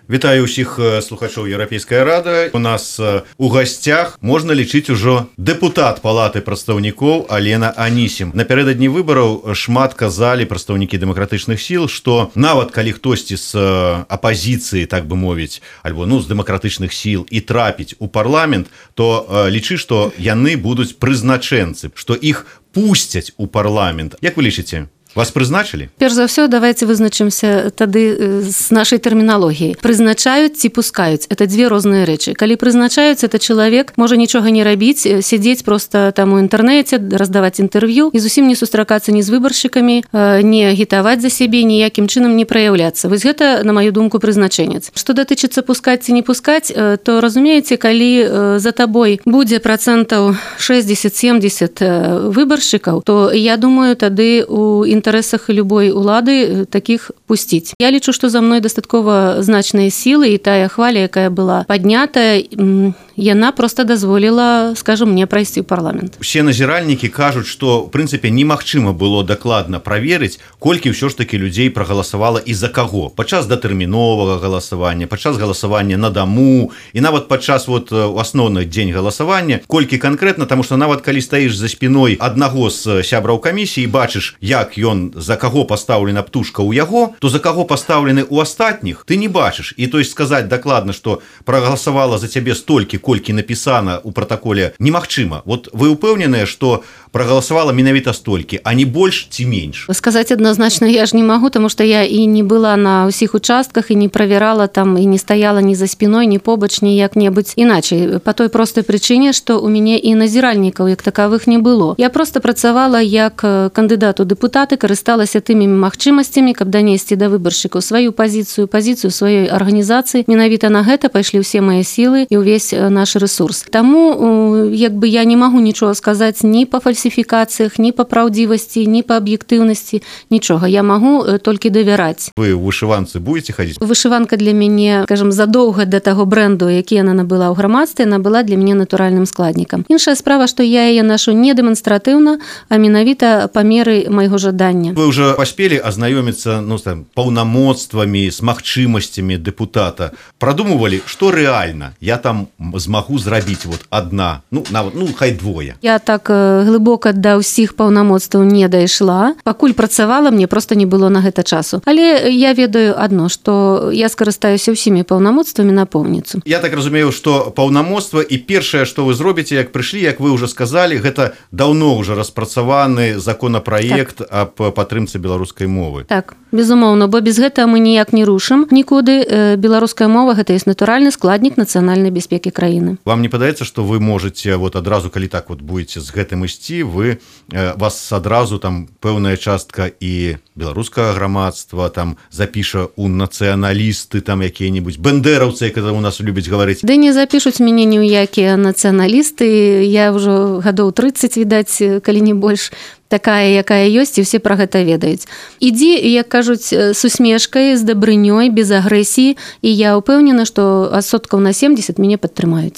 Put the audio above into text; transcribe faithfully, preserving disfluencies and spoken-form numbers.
Вітаю ўсіх слухачоў Еўрапейская рада. У нас у гасцях можна лічыць ужо дэпутат палаты прадстаўнікоў Алена Анісім. Напярэдадні выбараў шмат казалі прадстаўнікі дэмакратычных сіл, што нават калі хтосьці з апазіцыі, так бы мовіць, альбо ну з дэмакратычных сіл і трапіць у парламент, то лічы, што яны будуць прызначэнцы, што іх пусцяць у парламент. Як вы лічыце? Вас прызначылі? Перш за ўсё, давайте вызначымся тады з нашай тэрміналогіяй. Прызначаюць ці пускаюць. Это дзве розныя рэчы. Калі прызначаюць, это чалавек можа нічога не рабіць, сядзець проста там у інтэрнэце, раздаваць інтэрв'ю і зусім не сустракацца ні з выбаршчыкамі, не агітаваць за сябе, ніякім чынам не праяўляцца. Вось гэта, на маю думку, прызначэнец. Што датычыцца пускаць ці не пускаць, то разумееце, калі за табой будзе працэнтаў шэсцьдзесят-семдзесят выбаршчыкаў, то я думаю, тады у інтарэсах любой улады такіх пусціць. Я лічу, што за мной дастаткова значныя сілы, і тая хваля, якая была паднятая, яна проста дазволіла, скажам, мне прайсці ў парламент. Усе назіральнікі кажуць, што, ў прынцыпе, немагчыма было дакладна праверыць, колькі ўсё ж такі людзей прагаласавала і за каго. Падчас датэрміновага галасавання, падчас галасавання на даму, і нават падчас вот у асноўны дзень галасавання, колькі канкрэтна, таму што нават калі стаіш за спіной аднаго з сябраў камісіі і бачыш, як ён, за каго пастаўлена птушка ў яго, то за каго пастаўлены ў астатніх, ты не бачыш. І то есть сказаць дакладна, што прагаласавала за цябе столькі, колькі напісана ў пратаколе, немагчыма. Вот вы ўпэўненыя, што прагаласавала менавіта столькі, а не больш ці менш? Сказаць адназначна я ж не магу, таму што я і не была на ўсіх участках, і не правярала там, і не стаяла ні за спіной, ні побач, ні як-небудзь іначай. Па той простай прычыне, што ў мяне і назіральнікаў як такавых не было. Я проста працавала як кандыдат у дэпутаты, карысталася тымі магчымасцямі, каб данесці да выбаршчыкаў сваю пазіцыю, пазіцыю сваёй арганізацыі. Менавіта на гэта пайшлі ўсе мае сілы і ўвесь наш ресурс. Таму як бы я не магу нічога сказаць ні па фальсіфікацыях, ні па праўдзівасці, ні па аб'ектыўнасці, нічога. Я магу толькі давяраць. Вы ў вышыванцы будете хадзіць? Вышыванка для мяне, скажем, задоўга да таго бренду, які яна набыла ў грамадстве, яна была для мяне натуральным складнікам. Іншая справа, што я яе нашу не дэманстратыўна, а менавіта па меры майго жадання. Вы ўжо паспелі азнаёміцца, ну, там, паўнамоцтвамі, з магчымасцямі дэпутата. Прадумывалі, што рэальна я там змагу зрабіць вот адна, ну, нават, ну, хай двое. Я так глыбока да ўсіх паўнамоцтваў не дайшла. Пакуль працавала, мне проста не было на гэта часу. Але я ведаю адно, што я скарыстаюся ўсімі паўнамоцтвамі напоўніцу. Я так разумею, што паўнамоцтва і першае, што вы зробіце, як прыйшлі, як вы ўжо сказалі, гэта даўно ўжо распрацаваны законапраект так. аб падтрымцы беларускай мовы. Так, безумоўна, бо без гэтага мы ніяк не рушым нікуды. Беларуская мова гэта ёсць натуральны складнік нацыянальнай бяспекі краіны. Вам не падаецца, што вы можаце вот адразу, калі так вот будете з гэтым ісці, вы вас адразу там пэўная частка і беларускага грамадства там запіша у нацыяналісты, там якія-небудзь бэндэраўцы, як у нас любяць гаварыць. Ды не запішуць мяне ні ў якія нацыяналісты. Я ўжо гадоў трыццаць, відаць, калі не больш, такая, якая ёсць, і ўсе пра гэта ведаюць. Ідзі, як кажуць, з усмешкай, з дабрынёй, без агрэсіі, і я ўпэўнена, што адсоткаў на семдзесят мяне падтрымаюць.